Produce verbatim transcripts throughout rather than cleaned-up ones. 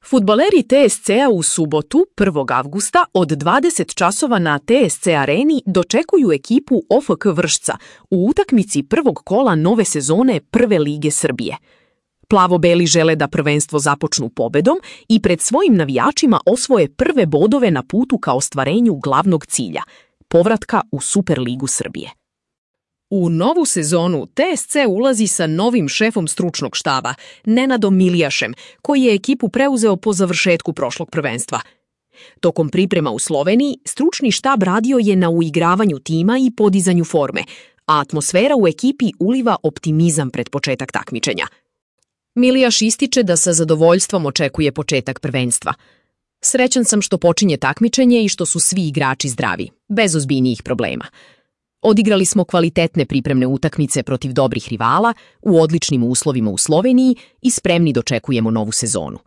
Fudbaleri T S C-a u subotu, prvog avgusta, od dvadeset časova na T S C areni dočekuju ekipu O F K Vršca u utakmici prvog kola nove sezone Prve lige Srbije. Plavo-beli žele da prvenstvo započnu pobedom i pred svojim navijačima osvoje prve bodove na putu ka ostvarenju glavnog cilja – povratka u Superligu Srbije. U novu sezonu T S C ulazi sa novim šefom stručnog štaba, Nenadom Milijašem, koji je ekipu preuzeo po završetku prošlog prvenstva. Tokom priprema u Sloveniji, stručni štab radio je na uigravanju tima i podizanju forme, a atmosfera u ekipi uliva optimizam pred početak takmičenja. Milijaš ističe da sa zadovoljstvom očekuje početak prvenstva. Srećan sam što počinje takmičenje i što su svi igrači zdravi, bez ozbiljnijih problema. Odigrali smo kvalitetne pripremne utakmice protiv dobrih rivala, u odličnim uslovima u Sloveniji i spremni dočekujemo novu sezonu.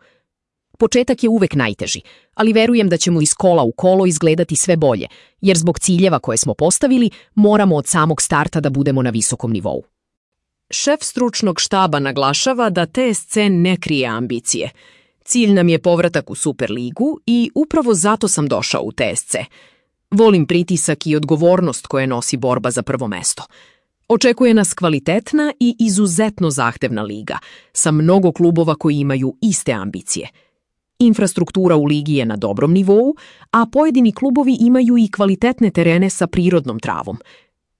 Početak je uvek najteži, ali verujem da ćemo iz kola u kolo izgledati sve bolje, jer zbog ciljeva koje smo postavili moramo od samog starta da budemo na visokom nivou. Šef stručnog štaba naglašava da T S C ne krije ambicije. Cilj nam je povratak u Superligu i upravo zato sam došao u T S C. Volim pritisak i odgovornost koje nosi borba za prvo mesto. Očekuje nas kvalitetna i izuzetno zahtevna liga, sa mnogo klubova koji imaju iste ambicije. Infrastruktura u ligi je na dobrom nivou, a pojedini klubovi imaju i kvalitetne terene sa prirodnom travom.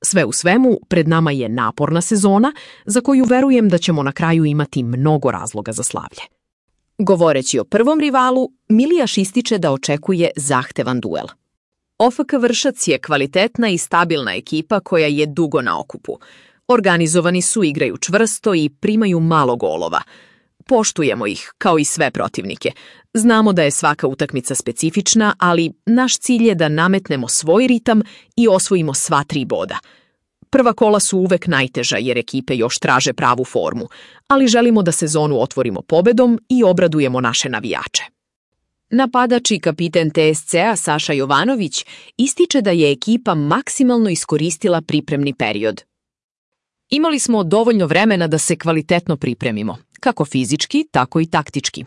Sve u svemu, pred nama je naporna sezona, za koju verujem da ćemo na kraju imati mnogo razloga za slavlje. Govoreći o prvom rivalu, Milijaš ističe da očekuje zahtevan duel. O F K Vršac je kvalitetna i stabilna ekipa koja je dugo na okupu. Organizovani su, igraju čvrsto i primaju malo golova. Poštujemo ih, kao i sve protivnike. Znamo da je svaka utakmica specifična, ali naš cilj je da nametnemo svoj ritam i osvojimo sva tri boda. Prva kola su uvek najteža jer ekipe još traže pravu formu, ali želimo da sezonu otvorimo pobedom i obradujemo naše navijače. Napadač i kapiten T S C-a Saša Jovanović ističe da je ekipa maksimalno iskoristila pripremni period. Imali smo dovoljno vremena da se kvalitetno pripremimo, kako fizički, tako i taktički.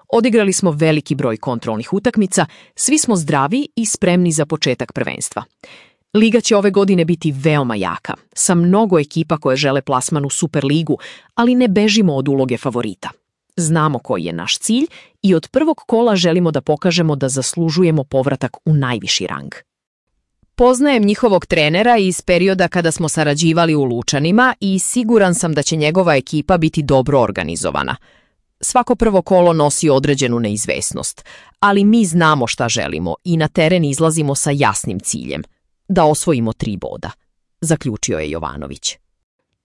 Odigrali smo veliki broj kontrolnih utakmica, svi smo zdravi i spremni za početak prvenstva. Liga će ove godine biti veoma jaka, sa mnogo ekipa koje žele plasman u Superligu, ali ne bežimo od uloge favorita. Znamo koji je naš cilj i od prvog kola želimo da pokažemo da zaslužujemo povratak u najviši rang. Poznajem njihovog trenera iz perioda kada smo sarađivali u Lučanima i siguran sam da će njegova ekipa biti dobro organizovana. Svako prvo kolo nosi određenu neizvesnost, ali mi znamo šta želimo i na teren izlazimo sa jasnim ciljem – da osvojimo tri boda, zaključio je Jovanović.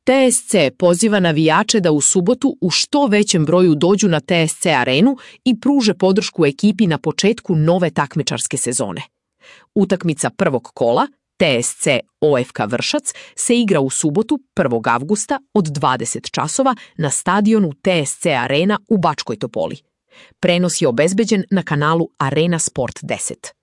T S C poziva navijače da u subotu u što većem broju dođu na T S C arenu i pruže podršku ekipi na početku nove takmičarske sezone. Utakmica prvog kola, T S C O F K Vršac, se igra u subotu prvog avgusta od dvadeset časova na stadionu T S C Arena u Bačkoj Topoli. Prenos je obezbeđen na kanalu Arena Sport deset.